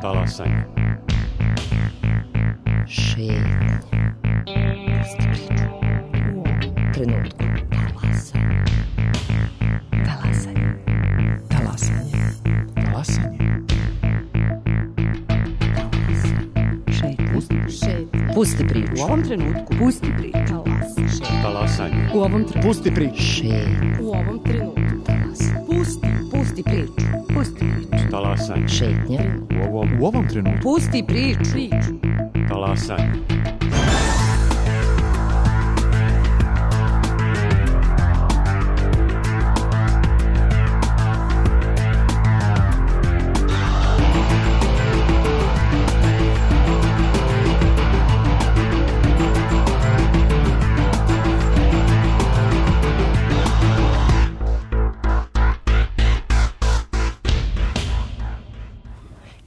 Talasanje. Šetnja. Pusti priču. U ovom trenutku. Talasanje. Talasanje. Talasanje. Talasanje. Šetnja. Pusti priču. U ovom trenutku. Pusti priču. Talasanje. U ovom trenutku. Pusti priču. Šetnja. U ovom trenutku. Pusti priču. Pusti priču. Talasanje. Šetnja. U ovom trenutku. Pusti priču. Talasanje.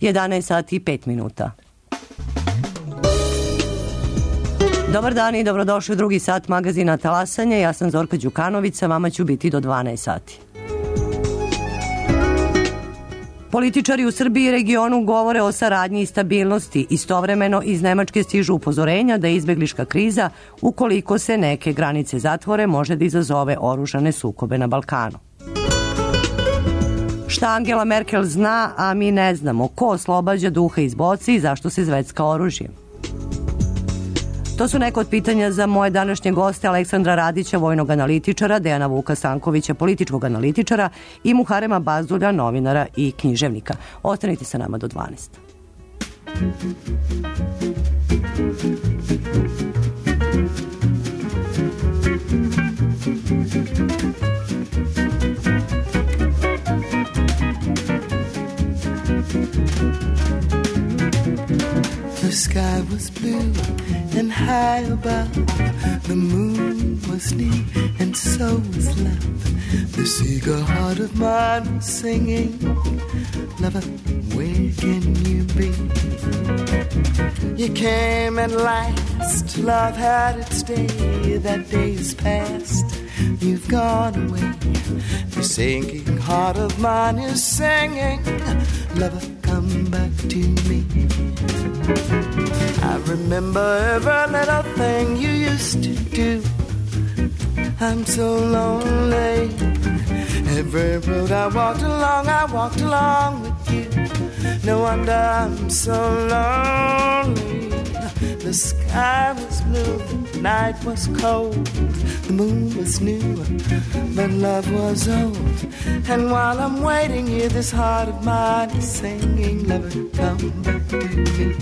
Jedanaest sati i 5 minuta. Dobar dan i dobrodošli u drugi sat magazina Talasanje. Ja sam Zorka Đukanović, vama ću biti do 12 sati. Političari u Srbiji i regionu govore o saradnji i stabilnosti. Istovremeno iz Nemačke stižu upozorenja da je izbegliška kriza, ukoliko se neke granice zatvore, može da izazove oružane sukobe na Balkanu. Šta Angela Merkel zna, a mi ne znamo? Ko oslobađa duha iz boce i zašto se zvecka oružjem? To su neka od pitanja za moje današnje goste: Aleksandra Radića, vojnog analitičara, Dejana Vuka Stankovića, političkog analitičara i Muharema Bazdulja, novinara i književnika. Ostanite sa nama do 12. The sky was blue and high above. The moon was new and so was love. This eager heart of mine was singing, lover, where can you be? You came at last, love had its day. That day is past, you've gone away. The sinking heart of mine is singing, lover, come back to me. I remember every little thing you used to do. I'm so lonely. Every road I walked along with you. No wonder I'm so lonely. The sky was blue, the night was cold, the moon was new, but love was old. And while I'm waiting here, this heart of mine is singing, lover, come back to me.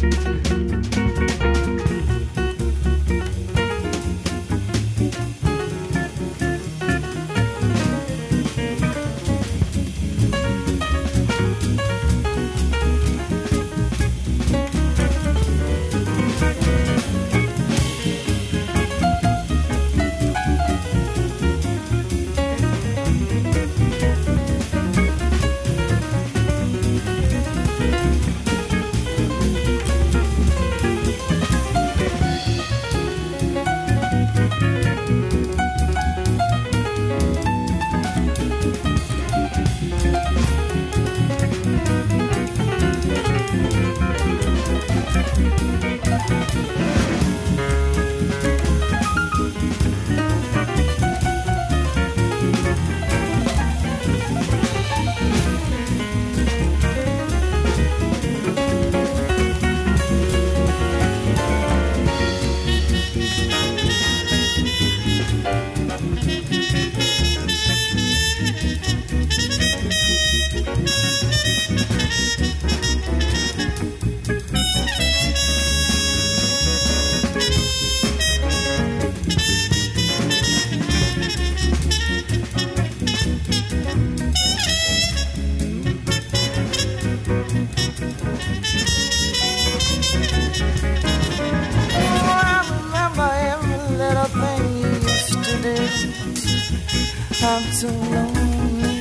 I'm so lonely.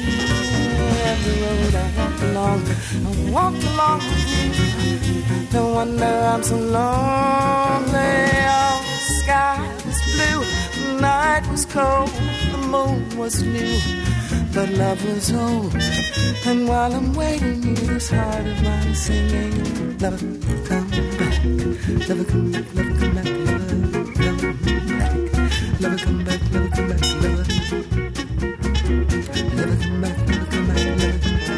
Every road I walked along with you. No wonder I'm so lonely. Oh, the sky was blue, the night was cold, the moon was new, but love was old. And while I'm waiting, hear this heart of mine singing, lover, come back, lover, come back, lover, come back, lover, come back, lover, come back, lover, come back, lover, lover, come back, lover, come back, lover, come back, lover, come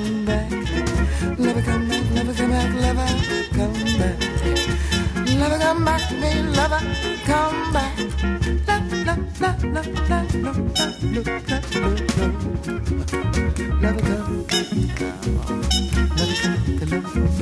back, lover, come back, lover, come back, lover, come back, lover, come back. Lover, come back to me, lover, come back. Love, love, love, love, love, love, love, love, lover, come back. Lover, come back, lover, come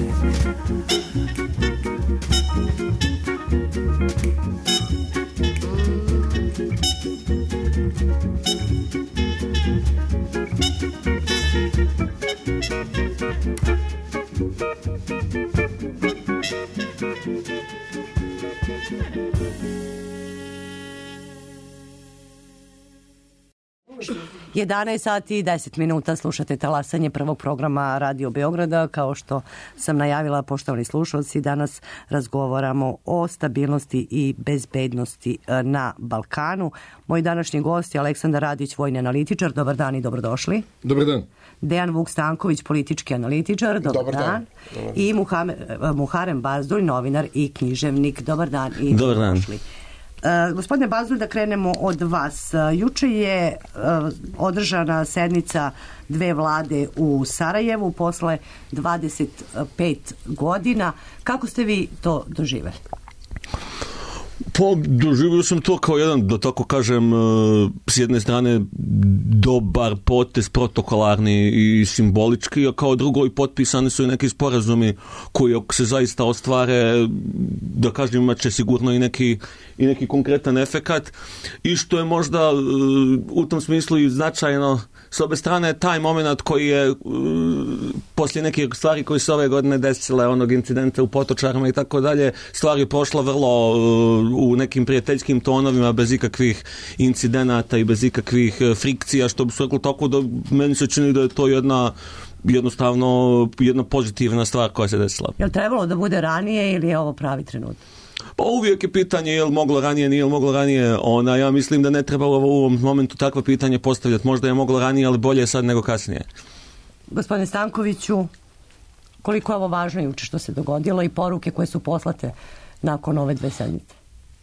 Je 11 sati i 10 minuta, slušate talasanje prvog programa Radio Beograda. Kao što sam najavila, poštovani slušalci, danas razgovaramo o stabilnosti i bezbednosti na Balkanu. Moj današnji gost je Aleksandar Radić, vojni analitičar. Dobar dan i dobrodošli. Dobar dan. Dejan Vuk Stanković, politički analitičar. Dobar dan. I Muharem Bazdulj, novinar i književnik. Dobar dan i dobrodošli. Gospodine Bazdulj, da krenemo od vas. Juče je održana sednica dve vlade u Sarajevu posle 25 godina. Kako ste vi to doživeli? Pa, doživio sam to kao jedan, da tako kažem, s jedne strane dobar potez, protokolarni i simbolički, a kao drugo i potpisani su i neki sporazumi koji ako se zaista ostvare, da kažem, imat će sigurno i neki konkretan efekat, i što je možda u tom smislu i značajno s obe strane taj moment koji je poslije nekih stvari koji se ove godine desile, onog incidenta u Potočarama i tako dalje, stvari prošla vrlo u nekim prijateljskim tonovima, bez ikakvih incidenata i bez ikakvih frikcija, što bi se reklo, tako da meni se čini da je to jednostavno jedna pozitivna stvar koja se desila. Je li trebalo da bude ranije ili je ovo pravi trenutak? Pa uvijek je pitanje je li moglo ranije, nije li moglo ranije. Ja mislim da ne trebalo u ovom momentu takvo pitanje postavljati. Možda je moglo ranije, ali bolje je sad nego kasnije. Gospodine Stankoviću, koliko je ovo važno juče što se dogodilo i poruke koje su poslate nakon ove dve sedmice?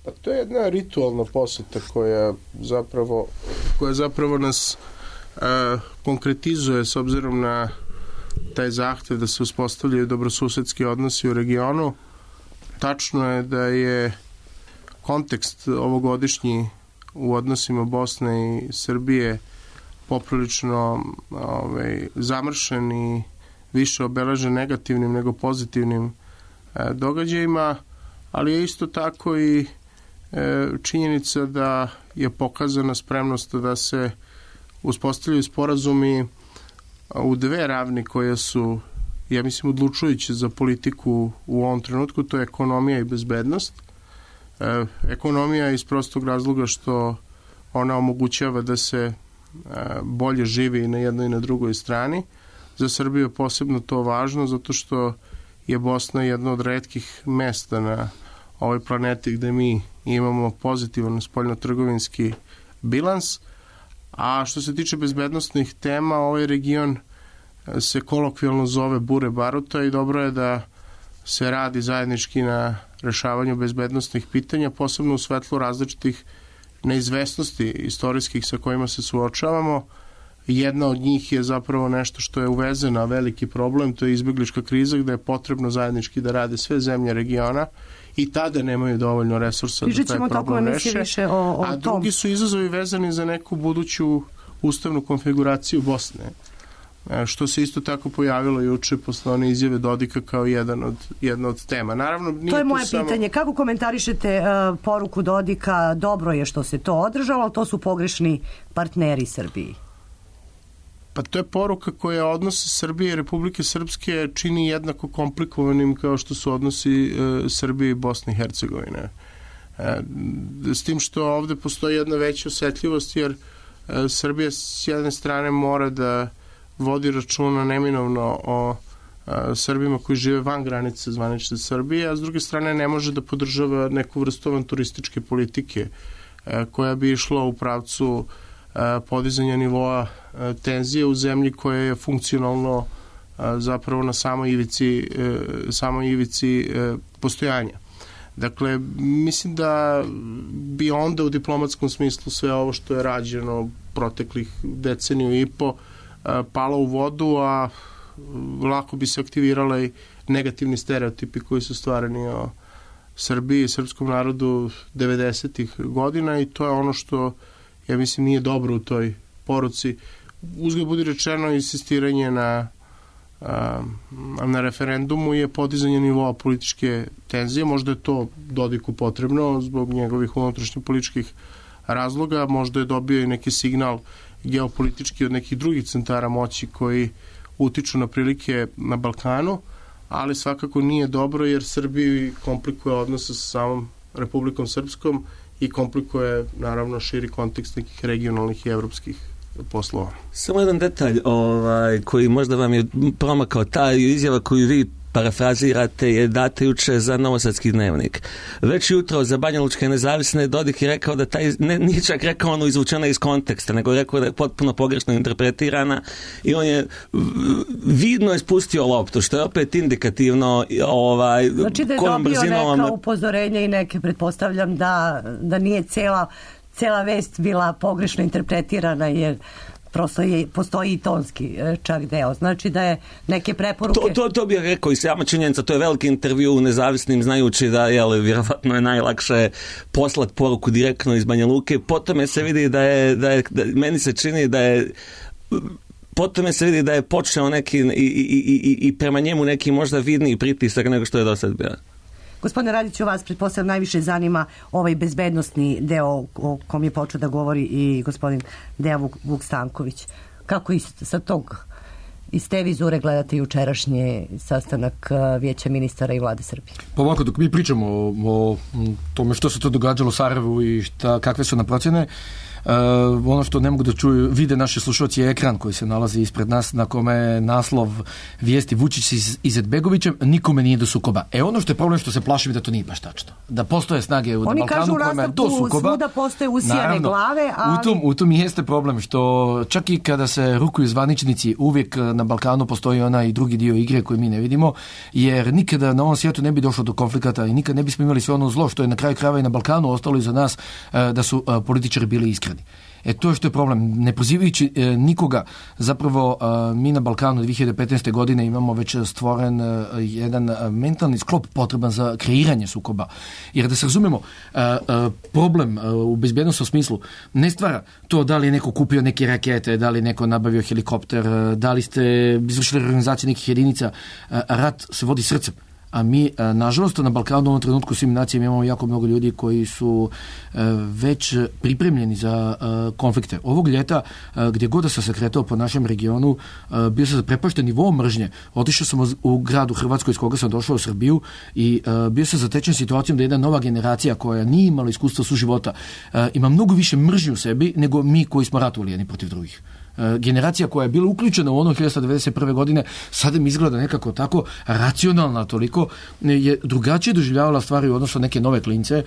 Pa to je jedna ritualna poseta koja zapravo nas konkretizuje s obzirom na taj zahtev da se uspostavljaju dobrosusedski odnosi u regionu. Tačno je da je kontekst ovogodišnji u odnosima Bosne i Srbije poprilično zamršen i više obeležen negativnim nego pozitivnim događajima, ali je isto tako i činjenica da je pokazana spremnost da se uspostavljaju sporazumi u dve ravni koje su, ja mislim, odlučujuće za politiku u ovom trenutku, to je ekonomija i bezbednost. Ekonomija iz prostog razloga što ona omogućava da se bolje živi na jednoj i na drugoj strani. Za Srbiju je posebno to važno zato što je Bosna jedno od retkih mesta na ovoj planeti gde mi imamo pozitivan spoljnotrgovinski bilans. A što se tiče bezbednostnih tema, ovaj region se kolokvijalno zove bure baruta i dobro je da se radi zajednički na rešavanju bezbednostnih pitanja, posebno u svetlu različitih neizvesnosti istorijskih sa kojima se suočavamo. Jedna od njih je zapravo nešto što je uvezena, veliki problem, to je izbeglička kriza gde je potrebno zajednički da rade sve zemlje regiona i tada nemaju dovoljno resursa da taj problem reše. A drugi su izazovi vezani za neku buduću ustavnu konfiguraciju Bosne, što se isto tako pojavilo juče posle one izjave Dodika kao jedna od tema. Naravno, nije to je moje pitanje. Kako komentarišete poruku Dodika? Dobro je što se to održalo, ali to su pogrešni partneri Srbiji. Pa to je poruka koja odnose Srbije i Republike Srpske čini jednako komplikovanim kao što su odnosi Srbije i Bosne i Hercegovine. S tim što ovde postoji jedna veća osetljivost, jer Srbija s jedne strane mora da vodi računa neminovno o Srbima koji žive van granice zvanične Srbije, a s druge strane ne može da podržava neku vrstu avanturističke politike koja bi išla u pravcu podizanja nivoa tenzije u zemlji koja je funkcionalno zapravo na samoj ivici postojanja. Dakle, mislim da bi onda u diplomatskom smislu sve ovo što je rađeno proteklih deceniju i po palo u vodu, a lako bi se aktivirale negativni stereotipi koji su stvarani o Srbiji i srpskom narodu 90-ih godina, i to je ono što, ja mislim, nije dobro u toj poruci. Uzgled budi rečeno, insistiranje na referendumu je podizanje nivoa političke tenzije. Možda je to Dodiku potrebno zbog njegovih unutrašnjih političkih razloga, možda je dobio i neki signal geopolitički od nekih drugih centara moći koji utiču na prilike na Balkanu, ali svakako nije dobro jer Srbiji komplikuje odnose sa samom Republikom Srpskom i komplikuje naravno širi kontekst nekih regionalnih i evropskih poslova. Samo jedan detalj koji možda vam je promakao, ta izjava koju vi parafrazirate je data juče za Novosadski dnevnik. Već jutro za Banjalučke nezavisne Dodik je rekao da nije čak rekao ono izvučena iz konteksta, nego je rekao da je potpuno pogrešno interpretirana i on je vidno spustio loptu, što je opet indikativno znači da je dobio neka upozorenja i neke, pretpostavljam da nije cela vest bila pogrešno interpretirana, jer prosto postoji i tonski čak deo. Znači da je neke preporuke... To bih rekao i sama činjenica, to je veliki intervju u Nezavisnim, znajući da vjerovatno je najlakše poslati poruku direktno iz Banja Luke. Potom se vidi meni se čini da je potom se vidi da je počeo neki i prema njemu neki možda vidniji pritisak nego što je do sad bio. Gospodine Radiću, vas pretpostavljam najviše zanima ovaj bezbednosni deo o kom je počeo da govori i gospodin Dejan Vuk Stanković. Kako iz te vizure gledate jučerašnji sastanak Vijeća ministara i vlade Srbije? Pa ovako, dok mi pričamo o tome što se to događalo u Sarajevu i kakve su na procjene, ono što ne mogu da čuju, vide naši slušalci je ekran koji se nalazi ispred nas, na kome je naslov vijesti Vučić s Izetbegovićem, nikome nije do sukoba. Ono što je problem, što se plašim da to nije baš tačno. Da postoje snage u Balkanu kojima je do sukoba. Svuda postoje usijane naravno, glave, ali... U tom jeste problem, što čak i kada se rukuju zvaničnici, uvijek na Balkanu postoji onaj drugi dio igre koji mi ne vidimo, jer nikada na ovom svijetu ne bi došlo do konflikata i nikad ne bismo imali sve ono zlo što je na kraju krajeva i na Balkanu ostalo iza nas, da su političari bili iskreni. To je što je problem. Ne pozivajući nikoga, zapravo mi na Balkanu 2015. godine imamo već stvoren jedan mentalni sklop potreban za kreiranje sukoba. Jer da se razumemo, problem u bezbjednostnom smislu ne stvara to da li je neko kupio neke rakete, da li je neko nabavio helikopter, da li ste izvršili organizaciju nekih jedinica. Rat se vodi srcem. A mi, nažalost, na Balkanu u ovom trenutku svim nacijama imamo jako mnogo ljudi koji su već pripremljeni za konflikte. Ovog ljeta, gdje god da sam se kretao po našem regionu, bio sam zaprepašten nivom mržnje. Otišao sam u grad u Hrvatskoj iz koga sam došao u Srbiju i bio sam zatečen situacijom da jedna nova generacija koja nije imala iskustva suživota ima mnogo više mržnje u sebi nego mi koji smo ratovali jedni protiv drugih. Generacija koja je bila uključena u ono 1991. godine sada mi izgleda nekako tako racionalna, toliko je drugačije doživljavala stvari u odnosu na neke nove klince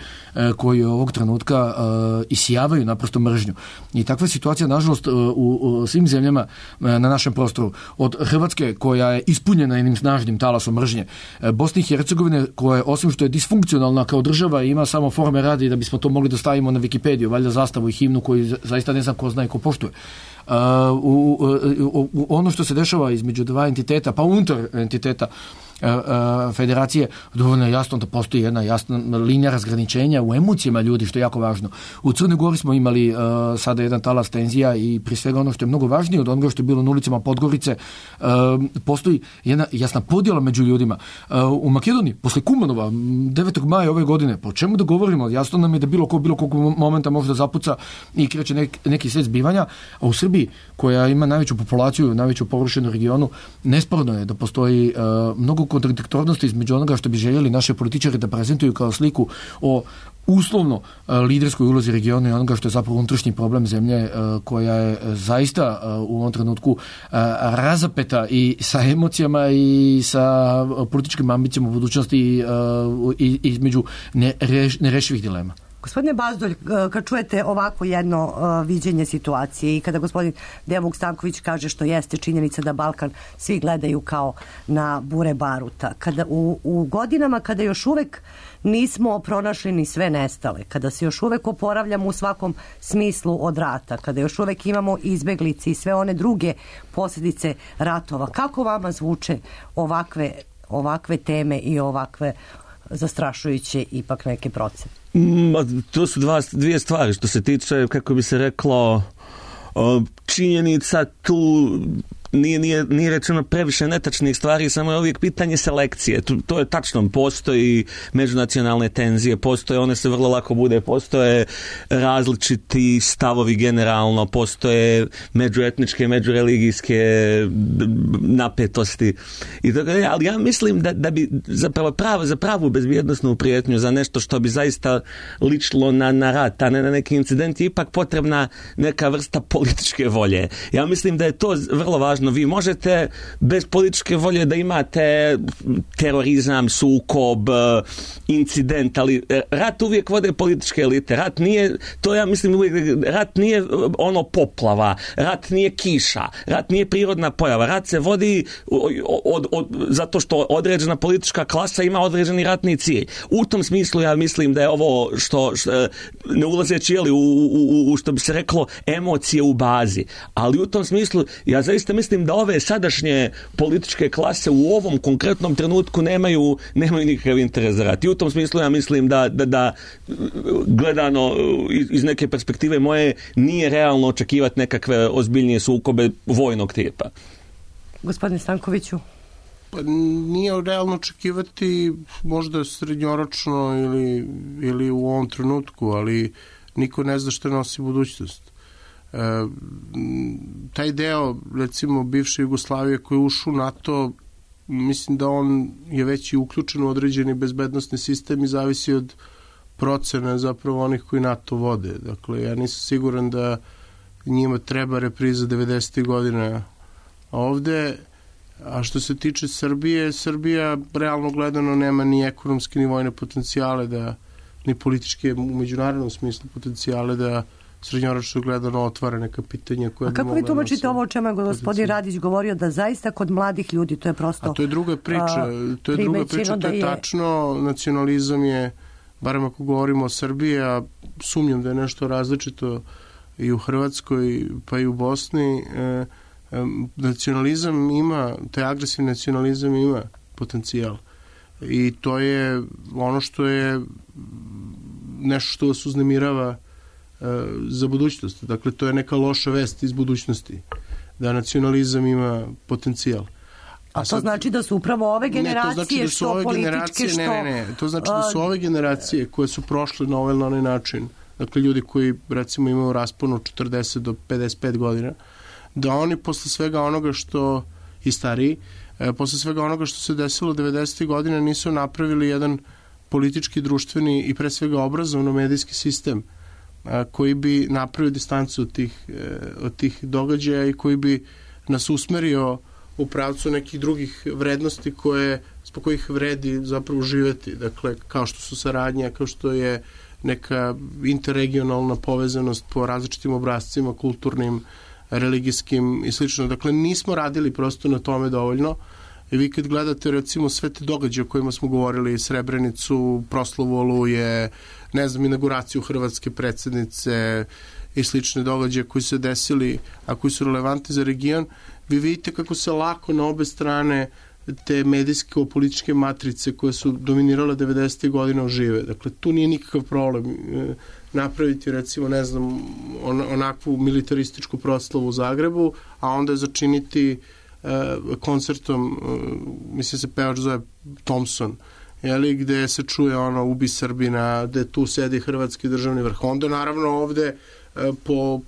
koji ovog trenutka isijavaju naprosto mržnju. I takva situacija, nažalost, u svim zemljama na našem prostoru, od Hrvatske koja je ispunjena jednim snažnim talasom mržnje, Bosne i Hercegovine koja je, osim što je disfunkcionalna kao država, ima samo forme radi da bismo to mogli da stavimo na Wikipediju, valjda zastavu i himnu koju zaista ne znam ko zna i ko poštuje. Ono što se dešava između dva entiteta, pa unutar entiteta federacije, dovoljno je jasno da postoji jedna jasna linija razgraničenja u emocijama ljudi, što je jako važno. U Crnoj Gori smo imali sada jedan talas tenzija i prije svega ono što je mnogo važnije od onoga što je bilo na ulicama Podgorice, postoji jedna jasna podjela među ljudima. U Makedoniji, posle Kumanova, 9. maja ove godine, po čemu da govorimo? Jasno nam je da bilo kog momenta može da zapuca i kreće neki svet zbivanja, a u Srbiji, koja ima najveću populaciju, najveću površinu regionu, nesporno je da postoji mnogo kontradiktornosti između onoga što bi željeli naše političari da prezentuju kao sliku o uslovno liderskoj ulozi regiona i onoga što je zapravo unutrašnji problem zemlje koja je zaista u ovom trenutku razapeta i sa emocijama i sa političkim ambicijama u budućnosti i između nerešivih dilema. Gospodine Bazdolj, kad čujete ovako jedno viđenje situacije i kada gospodin Dejan Stanković kaže što jeste činjenica da Balkan svi gledaju kao na bure baruta, kada u godinama kada još uvek nismo pronašli ni sve nestale, kada se još uvek oporavljamo u svakom smislu od rata, kada još uvek imamo izbeglice i sve one druge posljedice ratova, kako vama zvuče ovakve teme i ovakve zastrašujuće ipak neke procene? To su dvije stvari što se tiče, kako bi se reklo, činjenica tu nije rečeno previše netačnih stvari, samo je uvijek pitanje selekcije. To je tačno, postoji međunacionalne tenzije, one se vrlo lako bude, postoje različiti stavovi generalno, postoje međuetničke, međureligijske napetosti i tako dalje, ali ja mislim da bi za pravu bezbjednosnu prijetnju, za nešto što bi zaista ličilo na rat, a ne na neki incident, je ipak potrebna neka vrsta političke volje. Ja mislim da je to vrlo važno. Vi možete bez političke volje da imate terorizam, sukob, incident, ali rat uvijek vode političke elite. Rat nije, to ja mislim uvijek, rat nije ono poplava, rat nije kiša, rat nije prirodna pojava, rat se vodi zato što određena politička klasa ima određeni ratni cilj. U tom smislu ja mislim da je ovo što ne ulazeći u što bi se reklo emocije u bazi, ali u tom smislu ja zaista mislim da ove sadašnje političke klase u ovom konkretnom trenutku nemaju nikakav interes za rat. I u tom smislu ja mislim da gledano iz neke perspektive moje nije realno očekivati nekakve ozbiljnije sukobe vojnog tipa. Gospodine Stankoviću? Pa nije realno očekivati možda srednjoročno ili u ovom trenutku, ali niko ne zna što nosi budućnost. Taj deo, recimo, bivše Jugoslavije koji je ušao u NATO, mislim da on je već i uključen u određeni bezbednosni sistem i zavisi od procene zapravo onih koji NATO vode. Dakle, ja nisam siguran da njima treba repriza 90. godina ovde, a što se tiče Srbije, Srbija realno gledano nema ni ekonomske ni vojne potencijale, ni političke u međunarodnom smislu potencijale da srednjoročno gledano otvara neka pitanja koja bi mogla... A kako vi tumačite ovo o čemu je gospodin Radić govorio, da zaista kod mladih ljudi to je prosto... A to je druga priča, to je tačno, nacionalizam je, barem ako govorimo o Srbiji, a sumnjam da je nešto različito i u Hrvatskoj, pa i u Bosni, nacionalizam ima, taj agresivni nacionalizam ima potencijal. I to je ono što je nešto što vas uznemirava za budućnost. Dakle, to je neka loša vest iz budućnosti, da nacionalizam ima potencijal. A to znači da su upravo ove generacije što političke, što... Ne, to znači da su ove generacije koje su prošle na ovaj ili onaj način, dakle ljudi koji recimo imaju raspon od 40 do 55 godina, da oni posle svega onoga što i stariji, posle svega onoga što se desilo 90. godina nisu napravili jedan politički, društveni i pre svega obrazovno-medijski sistem koji bi napravio distancu od tih događaja i koji bi nas usmerio u pravcu nekih drugih vrednosti zbog kojih vredi zapravo živeti. Dakle, kao što su saradnja, kao što je neka interregionalna povezanost po različitim obrascima, kulturnim, religijskim i slično. Dakle, nismo radili prosto na tome dovoljno. I vi kad gledate recimo sve te događaje o kojima smo govorili, Srebrenicu, proslavu Oluje, ne znam, inauguraciju hrvatske predsjednice i slične događaje koji se desili, a koji su relevantni za region, vi vidite kako se lako na obe strane te medijske političke matrice koje su dominirale 90. godina ožive. Dakle, tu nije nikakav problem napraviti, recimo, ne znam, onakvu militarističku proslavu u Zagrebu, a onda začiniti koncertom, mislim se pevač zove Thompson, gde se čuje ubi Srbina, gde tu sedi hrvatski državni vrh. Onda naravno ovde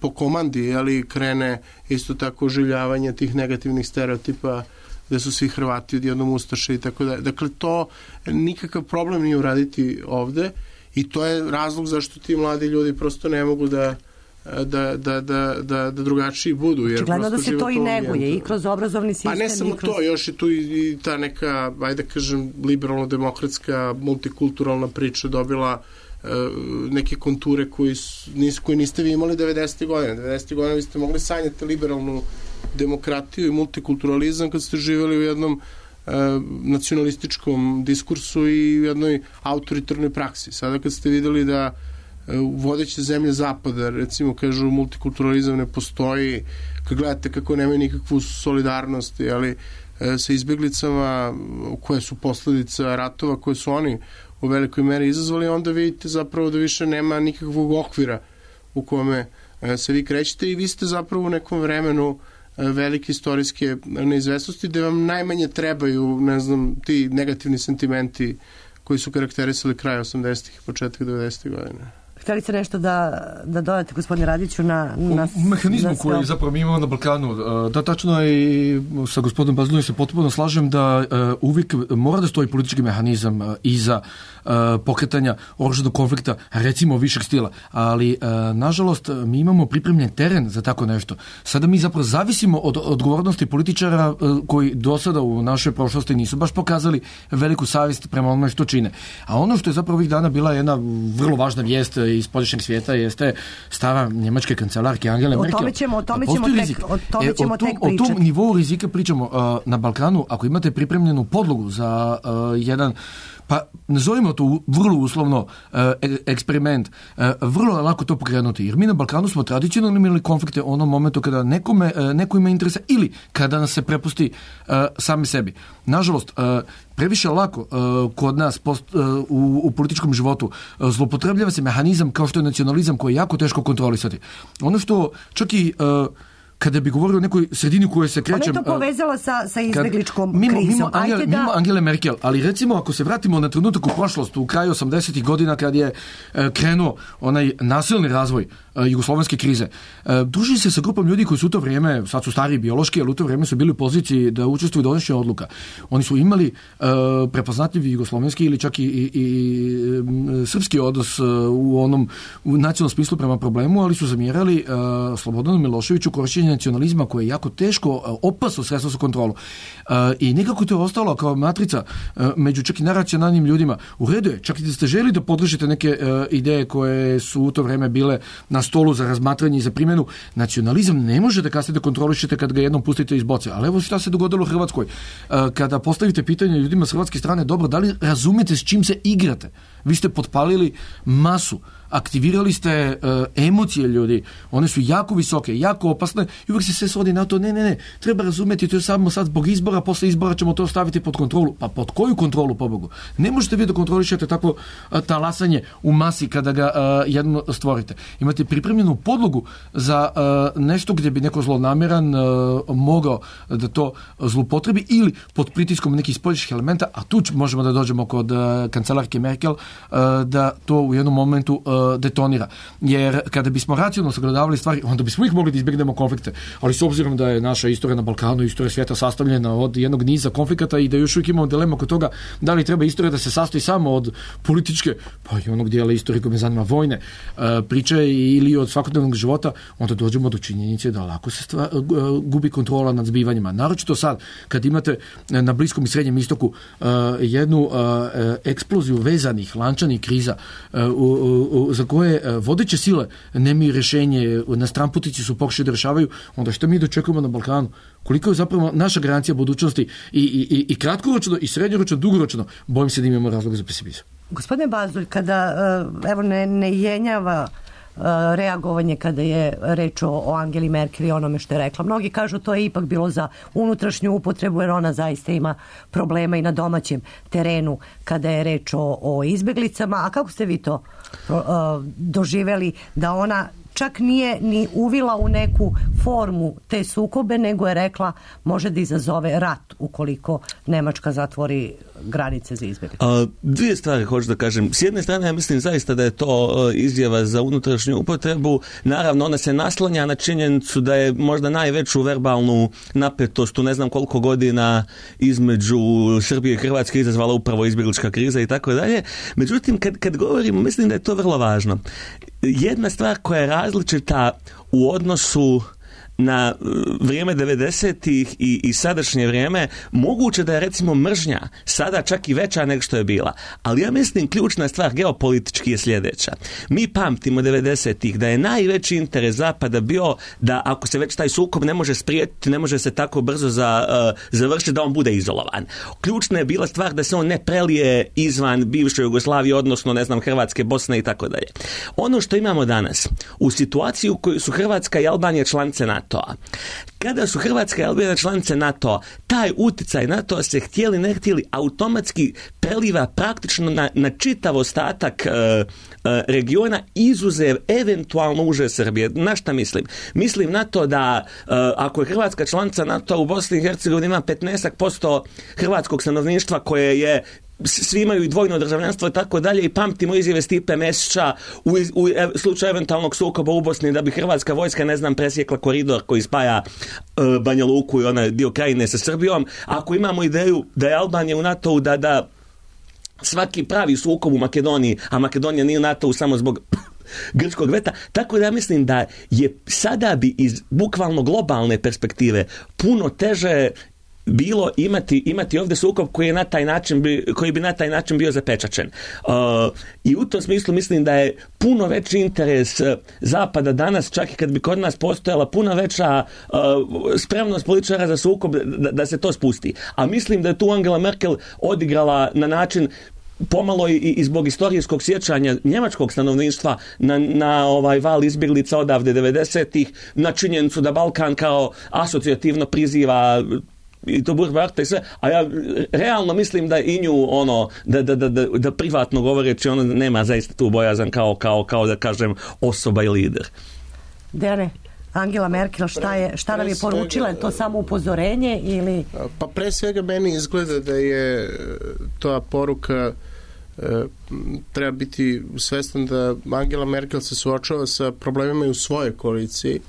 po komandi krene isto tako oživljavanje tih negativnih stereotipa gde su svi Hrvati odjednom ustaše i tako dalje. Dakle, to nikakav problem nije uraditi ovde i to je razlog zašto ti mladi ljudi prosto ne mogu da drugačiji budu. Očigledno da se to i neguje i kroz obrazovni sistem. A ne samo to, još je tu i ta neka, ajde kažem, liberalno-demokratska, multikulturalna priča dobila neke konture koje niste vi imali 90. godine. 90. godine vi ste mogli sanjati liberalnu demokratiju i multikulturalizam kad ste živjeli u jednom nacionalističkom diskursu i u jednoj autoritarnoj praksi. Sada kad ste videli da vodeće zemlje zapada, recimo kažu multikulturalizam ne postoji, kad gledate kako nemaju nikakvu solidarnost, ali sa izbjeglicama koje su posledica ratova koje su oni u velikoj meri izazvali, onda vidite zapravo da više nema nikakvog okvira u kome se vi krećete i vi ste zapravo u nekom vremenu velike istorijske neizvesnosti gde vam najmanje trebaju, ne znam, ti negativni sentimenti koji su karakterisali kraj 80-ih i početak 90-ih godina. Htjeli ste nešto da dodate, gospodine Radiću, na mehanizmu koji zapravo mi imamo na Balkanu. Da, tačno je, i sa gospodinom Bazduljem se potpuno slažem da uvijek mora da stoji politički mehanizam iza pokretanja oružanog konflikta, recimo višeg stila. Ali, nažalost, mi imamo pripremljen teren za tako nešto. Sada mi zapravo zavisimo od odgovornosti političara koji do sada u našoj prošlosti nisu baš pokazali veliku savjest prema onome što čine. A ono što je zapravo ovih dana bila jedna vrlo važna vijest iz polješnjeg svijeta jeste stava njemačke kancelarke Angele Merkel. O tome ćemo tek pričati. O tom nivou rizika pričamo na Balkanu. Ako imate pripremljenu podlogu za jedan, pa nazovimo to vrlo uslovno eksperiment, vrlo je lako to pokrenuti. Jer mi na Balkanu smo tradicionalno imali konflikte u onom momentu kada neko ima interesa ili kada nas se prepusti sami sebi. Nažalost, previše lako kod nas u političkom životu zloupotrebljava se mehanizam kao što je nacionalizam koji je jako teško kontrolisati. Ono što čak i kada bi govorio o nekoj sredini u kojoj se krećem... Ona je to povezala sa izbegličkom krizom. Mimo Angele Merkel, ali recimo ako se vratimo na trenutak u prošlost, u kraju 80-ih godina kad je krenuo onaj nasilni razvoj jugoslovenske krize, druži se sa grupom ljudi koji su u to vrijeme, sad su stariji biološki, ali u to vrijeme su bili u poziciji da učestvuju u donošenju odluka. Oni su imali prepoznatljivi jugoslovenski ili čak i srpski odnos u nacionalnom smislu prema problemu, ali su zamjerali Slobodanu Miloševiću korišćenje nacionalizma koje je jako teško, opasno sredstvo za kontrolu. I nekako to je ostalo kao matrica među čak i naracionalnim ljudima. U redu je, čak i da ste želi da podržite neke ideje koje su u to vrijeme bile na stolu za razmatranje i za primjenu, nacionalizam ne može da kasnije da kontrolišete kad ga jednom pustite iz boce. Ali evo šta se dogodilo u Hrvatskoj. Kada postavite pitanje ljudima s hrvatske strane, dobro, da li razumete s čim se igrate? Vi ste potpalili masu, aktivirali ste emocije ljudi, one su jako visoke, jako opasne i uvijek se sve svodi na to, ne, treba razumjeti, to je samo sad zbog izbora, posle izbora ćemo to staviti pod kontrolu. Pa pod koju kontrolu, pobogu? Ne možete vi da kontrolišete tako talasanje u masi kada ga jedno stvorite. Imate pripremljenu podlogu za nešto gdje bi neko zlonamjeran mogao da to zloupotrebi ili pod pritiskom nekih spoljnih elementa, a tu možemo da dođemo kod kancelarke Merkel, da to u jednom momentu detonira. Jer kada bismo racionalno sagledavali stvari, onda bismo ih mogli da izbjegnemo konflikte. Ali s obzirom da je naša istorija na Balkanu, istorija svijeta sastavljena od jednog niza konflikata i da još uvijek imamo dilemu oko toga da li treba istorija da se sastoji samo od političke, pa i onog dijela istorije koje me zanima, vojne priče ili od svakodnevnog života, onda dođemo do činjenice da lako se gubi kontrola nad zbivanjima. Naročito sad, kad imate na Bliskom i Srednjem istoku jednu eksploziju vezanih, lančanih kriza za koje vodeće sile nemaju rješenje, na stranputici su pokušali da rješavaju, onda što mi dočekujemo na Balkanu? Koliko je zapravo naša garancija budućnosti i kratkoročno, i srednjoročno, dugoročno, bojim se da imamo razloga za pesimizam. Gospodine Bazdulj, kada evo ne jenjava reagovanje kada je reč o Angeli Merkel i onome što je rekla. Mnogi kažu to je ipak bilo za unutrašnju upotrebu jer ona zaista ima problema i na domaćem terenu kada je reč o izbjeglicama. A kako ste vi to doživjeli da ona čak nije ni uvila u neku formu te sukobe, nego je rekla može da izazove rat ukoliko Nemačka zatvori granice za izbjeglice? Dvije stvari hoću da kažem. S jedne strane ja mislim zaista da je to izjava za unutrašnju upotrebu. Naravno ona se naslanja na činjenicu da je možda najveću verbalnu napetost u ne znam koliko godina između Srbije i Hrvatske izazvala upravo izbjeglička kriza i tako dalje. Međutim, kad govorimo, mislim da je to vrlo važno. Jedna stvar koja je različita u odnosu na vrijeme 90-ih i sadašnje vrijeme, moguće da je recimo mržnja sada čak i veća nego što je bila. Ali ja mislim ključna stvar geopolitički je sljedeća. Mi pamtimo 90-ih da je najveći interes Zapada bio da ako se već taj sukob ne može spriječiti, ne može se tako brzo završiti, da on bude izolovan. Ključna je bila stvar da se on ne prelije izvan bivše Jugoslavije, odnosno ne znam Hrvatske, Bosne i tako dalje. Ono što imamo danas, u situaciji u kojoj su Hrvatska i Albanija članice NATO-a, kada su Hrvatska i Albanija članice NATO-a, taj utjecaj NATO-a se htjeli ne htjeli automatski preliva praktično na čitav ostatak regiona, izuzev eventualno uže Srbije. Na šta mislim? Mislim na to da ako je Hrvatska članica NATO-a, u Bosni i Hercegovini ima 15% hrvatskog stanovništva koje je, svi imaju i dvojno državljanstvo i tako dalje, i pamtimo izjave Stipe Mesića u slučaju eventualnog sukoba u Bosni da bi hrvatska vojska, ne znam, presjekla koridor koji spaja Banja Luku i onaj dio Krajine sa Srbijom. Ako imamo ideju da je Albanija u NATO-u, da svaki pravi sukob u Makedoniji, a Makedonija nije u NATO-u samo zbog grčkog veta, tako da ja mislim da je sada bi iz bukvalno globalne perspektive puno teže bilo imati ovdje sukob koji bi na taj način bio zapečačen. I u tom smislu mislim da je puno veći interes Zapada danas, čak i kad bi kod nas postojala puno veća spremnost političara za sukob, da se to spusti. A mislim da je tu Angela Merkel odigrala na način pomalo i zbog istorijskog sjećanja njemačkog stanovništva na ovaj val izbjeglica odavde 90-ih, na činjenicu da Balkan kao asocijativno priziva i to Burbarta i sve, a ja realno mislim da i nju da privatno govoreći ona nema zaista tu bojazan kao da kažem osoba i lider. Dene, Angela Merkel šta nam je poručila? Je to samo upozorenje ili? Pa pre svega meni izgleda da je ta poruka treba biti svestan da Angela Merkel se suočava sa problemima i u svojoj koaliciji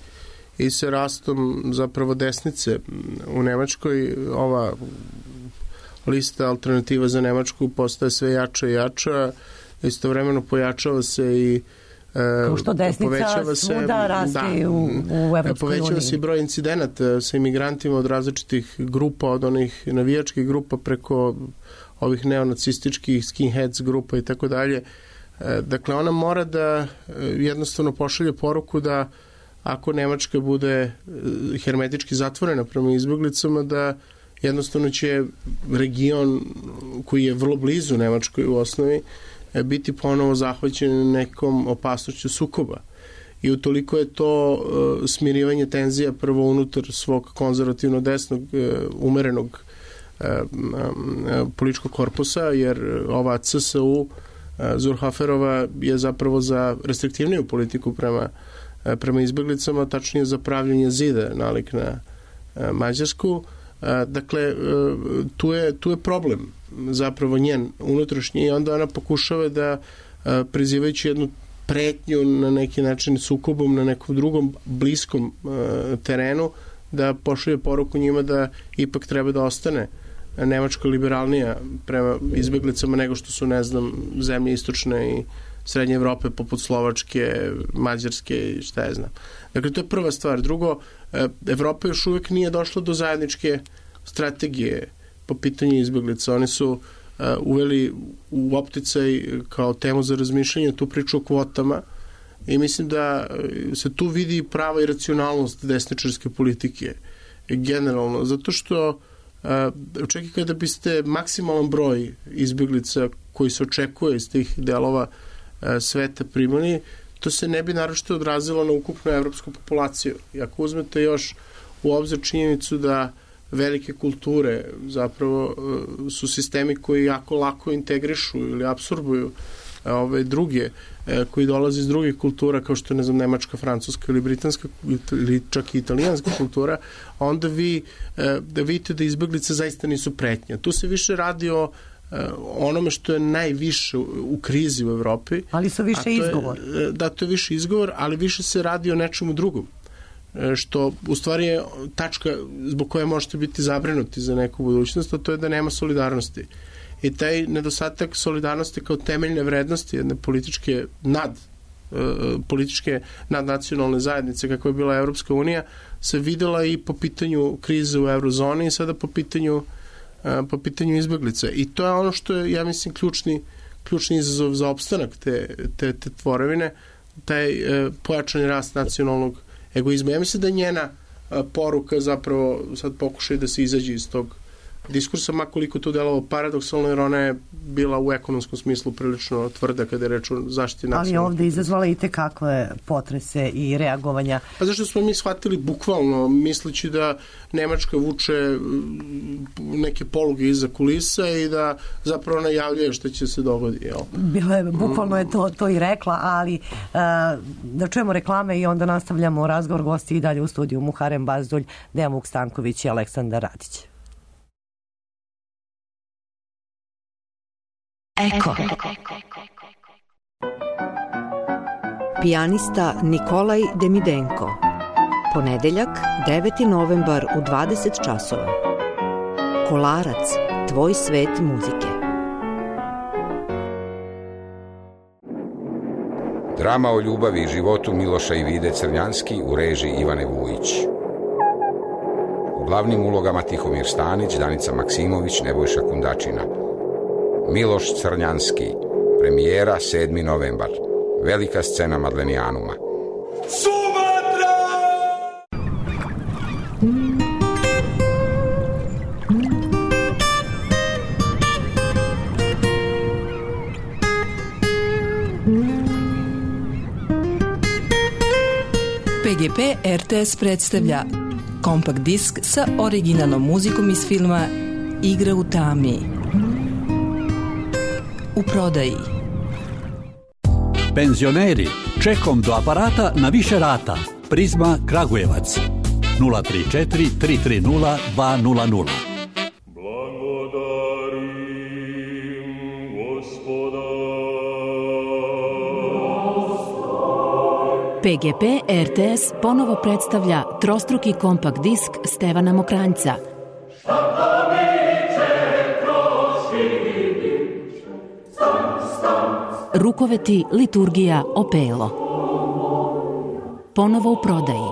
i sa rastom zapravo desnice u Nemačkoj. Ova lista Alternativa za Nemačku postaje sve jača i jača, istovremeno pojačava se i kao što desnica svuda raste u Evropskoj uniji. Povećava se i broj incidenata sa imigrantima od različitih grupa, od onih navijačkih grupa preko ovih neonacističkih skinheads grupa i tako dalje. Dakle, ona mora da jednostavno pošalje poruku da ako Nemačka bude hermetički zatvorena prema izbjeglicama, da jednostavno će region koji je vrlo blizu Nemačkoj u osnovi biti ponovo zahvaćen nekom opasnošću sukoba. I utoliko je to smirivanje tenzija prvo unutar svog konzervativno desnog umerenog političkog korpusa, jer ova CSU Zurhaferova je zapravo za restriktivniju politiku prema izbjeglicama, tačnije za pravljenje zida nalik na Mađarsku. Dakle, tu je problem zapravo njen unutrašnji, i onda ona pokušava da prizivajući jednu pretnju na neki način sukobom na nekom drugom bliskom terenu, da pošalje poruku njima da ipak treba da ostane Nemačka liberalnija prema izbjeglicama nego što su, ne znam, zemlje istočne i srednje Evrope poput Slovačke, Mađarske i šta ja znam. Dakle, to je prva stvar. Drugo, Evropa još uvijek nije došla do zajedničke strategije po pitanju izbjeglica. Oni su uveli u opticaj kao temu za razmišljanje tu priču o kvotama i mislim da se tu vidi prava i racionalnost desničarske politike generalno, zato što čak i kada biste maksimalan broj izbjeglica koji se očekuje iz tih delova sveta primali, to se ne bi naročito odrazilo na ukupnu evropsku populaciju. I ako uzmete još u obzir činjenicu da velike kulture zapravo su sistemi koji jako lako integrišu ili apsorbuju ove druge koji dolaze iz drugih kultura kao što je, ne znam, nemačka, francuska ili britanska ili čak i italijanska kultura, onda vi da vidite da izbjeglice zaista nisu pretnja. Tu se više radi o onome što je najviše u krizi u Evropi. Ali su više izgovor. Da, to je više izgovor, ali više se radi o nečemu drugom. Što u stvari je tačka zbog koje možete biti zabrinuti za neku budućnost, a to je da nema solidarnosti. I taj nedostatak solidarnosti kao temeljne vrednosti jedne političke političke nadnacionalne zajednice kakva je bila Evropska unija se videla i po pitanju krize u eurozoni i sada po pitanju izbeglica. I to je ono što je, ja mislim, ključni izazov za opstanak te tvorevine, taj pojačani rast nacionalnog egoizma. Ja mislim da je njena poruka zapravo sad pokušaj da se izađe iz tog diskursa, makoliko to delovalo paradoksalno, jer ona je bila u ekonomskom smislu prilično tvrda kada je reč o zaštiti nacionalnog. Ali ovde izazvala i tekakve potrese i reagovanja. Pa zašto smo mi shvatili bukvalno, misleći da Nemačka vuče neke poluge iza kulisa i da zapravo najavljuje što će se dogoditi. Bukvalno je to i rekla, ali da čujemo reklame i onda nastavljamo razgovor. Gosti i dalje u studiju Muharem Bazdulj, Dejan Vuk Stanković i Aleksandar Radić. Eko. Pijanista Nikolaj Demidenko. Ponedeljak, 9. novembar u 20 časova. Kolarac, tvoj svet muzike. Drama o ljubavi i životu Miloša i Vide Crnjanski u režiji Ivane Vujić. U glavnim ulogama Tihomir Stanić, Danica Maksimović, Nebojša Kundačina. Miloš Crnjanski, premijera 7. novembar, velika scena Madlenijanuma. Sumatra! PGP RTS predstavlja kompakt disk sa originalnom muzikom iz filma Igra u tami. U prodaji. Penzioneri, čekom do aparata na više rata. Prizma Kragujevac 034 330 200. PGP RTS ponovo predstavlja trostruki kompakt disk Stevana Mokranjca. Rukoveti, liturgija, opelo. Ponovo u prodaji.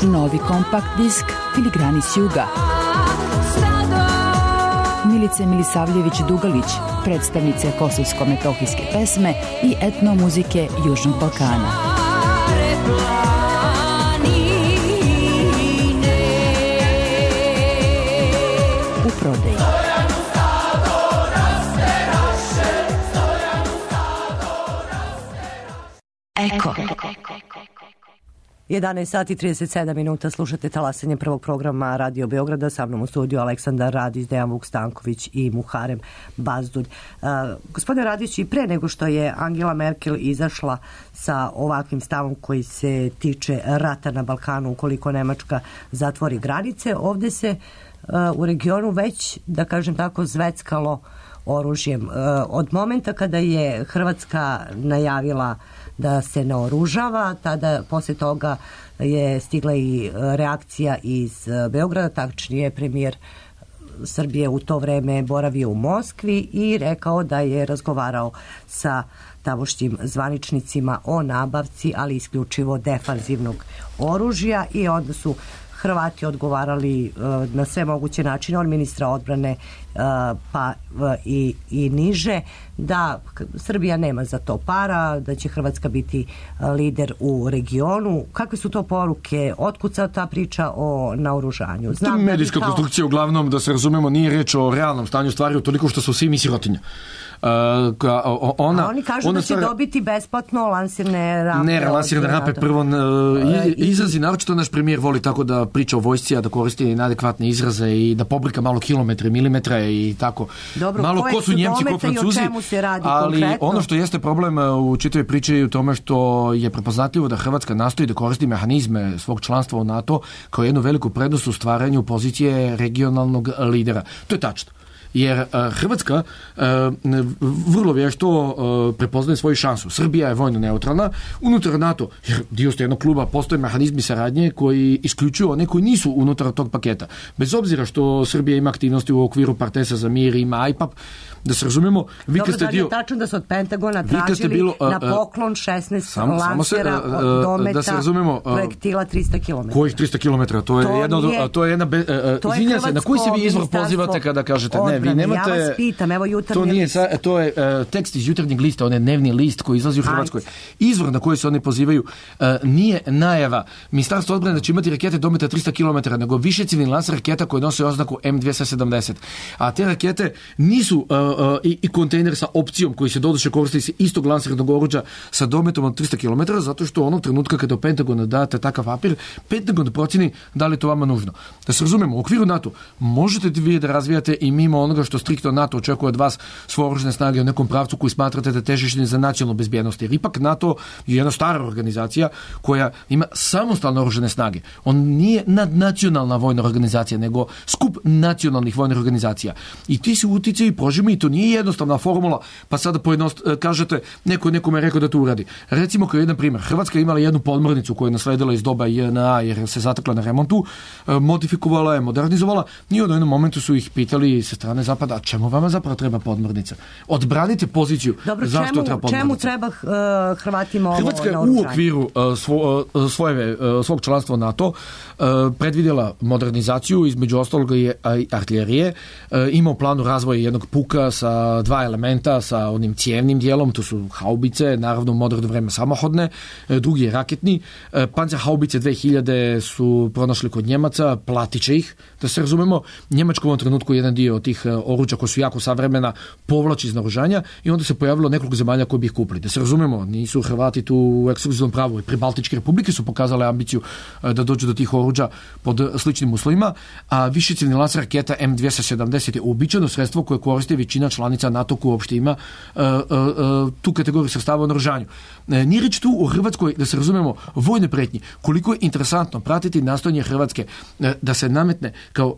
Novi kompakt disk Filigrani s juga. Milice Milisavljević-Dugalić, predstavnice kosovsko-metohijske pesme i etnomuzike Južnog Balkana. U prodaji. Eko. 11 sati 37 minuta, slušate talasanje prvog programa Radio Beograda, sa mnom u studiju Aleksandar Radić, Dejan Vuk Stanković i Muharem Bazdulj. Gospodine Radić, i pre nego što je Angela Merkel izašla sa ovakvim stavom koji se tiče rata na Balkanu ukoliko Nemačka zatvori granice, ovde se u regionu već, da kažem tako, zveckalo oružjem. Od momenta kada je Hrvatska najavila da se naoružava, tada posle toga je stigla i reakcija iz Beograda, tačnije premijer Srbije u to vreme boravio u Moskvi i rekao da je razgovarao sa tamošnjim zvaničnicima o nabavci, ali isključivo defanzivnog oružja, i onda su Hrvati odgovarali na sve moguće načine, od ministra odbrane pa i niže, da Srbija nema za to para, da će Hrvatska biti lider u regionu. Kakve su to poruke? Otkud sad ta priča o naoružanju? To je medijska konstrukcija, uglavnom, da se razumemo, nije reč o realnom stanju stvari, toliko što su svi mi sirotinja. Oni kažu da će dobiti besplatno lansirne rampe. Ne, lansirne rampe prvo izrazi, naročito naš premijer voli tako da priča o vojsci, a da koristi neadekvatne izraze i da pobrika malo kilometre, milimetre i tako. Dobro, malo ko su Njemci, ko Francuzi, ali konkretno? Ono što jeste problem u čitavoj priči je u tome što je prepoznatljivo da Hrvatska nastoji da koristi mehanizme svog članstva u NATO kao jednu veliku prednost u stvaranju pozicije regionalnog lidera. To je tačno. jer Hrvatska vrlo vješto prepoznaje svoju šansu. Srbija je vojno neutralna, unutar NATO, jer dio ste jednog kluba, postoje mehanizmi saradnje koji isključuju one koji nisu unutar tog paketa. Bez obzira što Srbija ima aktivnosti u okviru Partnerstva za mir, ima IPAP, da se razumemo, vi kad ste dio... Dobro, tačno da su od Pentagona tražili na poklon 16 lansera od dometa da se razumemo, projektila 300 km. Kojih 300 km? To je jedna... Izvinjam se, na koji se vi izvor pozivate kada kažete ne, vi nemate... Ja vas pitam, evo jutarnji list. To je tekst iz jutarnjeg lista, on je dnevni list koji izlazi u Hrvatskoj. Izvor na koji se oni pozivaju nije najava Ministarstvo odbrane da će imati rakete dometa 300 km, nego više civilni lansera raketa koje nose oznaku M270. A te rakete nisu i kontejner sa opcijom koji se doduše koristi iz istog lansernog oruđa sa dometom od 300 km, zato što onog trenutka kada u Pentagonu date takav papir, Pentagon procjeni da li je to vama nužno. Da se razumemo, u okviru NATO možete vi da razvijate i mimo onoga što striktno NATO očekuje od vas svoje oružane snage u nekom pravcu koji smatrate da težište za nacionalnu bezbjednost. Jer ipak NATO je jedna stara organizacija koja ima samostalne oružane snage. On nije nadnacionalna vojna organizacija, nego skup nacionalnih vojnih organizacija. I ti se uticaji prožimi i to nije jednostavna formula, pa sada kažete neko je nekome rekao da to uradi. Recimo kao jedan primjer, Hrvatska je imala jednu podmornicu koju je nasledila iz doba JNA jer se zatekla na remontu, modifikovala je, modernizovala i u jednom momentu su ih pitali sa strane Zapada, a čemu vama zapravo treba podmornica? Odbranite poziciju. Dobro, zašto treba podmornica? Čemu treba Hrvatima ovo Hrvatska je naoružanje? u okviru svog članstva NATO predvidjela modernizaciju, između ostaloga i artiljerije, ima u planu razvoja jednog puka sa 2 elementa, sa onim cijevnim dijelom, to su haubice, naravno u moderno vreme samohodne, drugi je raketni. Panzerhaubice 2000 su pronašli kod Njemaca, platit će ih, da se razumemo. Njemačka u ovom trenutku jedan dio tih oruđa koji su jako savremena povlači iz naoružanja i onda se pojavilo nekoliko zemalja koji bi ih kupili. Da se razumemo, nisu Hrvati tu u ekskluzivnom pravu. I Pribaltičke republike su pokazale ambiciju da dođu do tih oruđa pod sličnim uslovima, a višeciljni lancer raketa M270 je uobičajeno sredstvo koje koristi većina članica NATO koja uopšte ima tu kategoriju sredstava u naoružanju. Nije reč tu u Hrvatskoj, da se razumemo, vojne pretnji. Koliko je interesantno pratiti nastojanje Hrvatske da se nametne kao,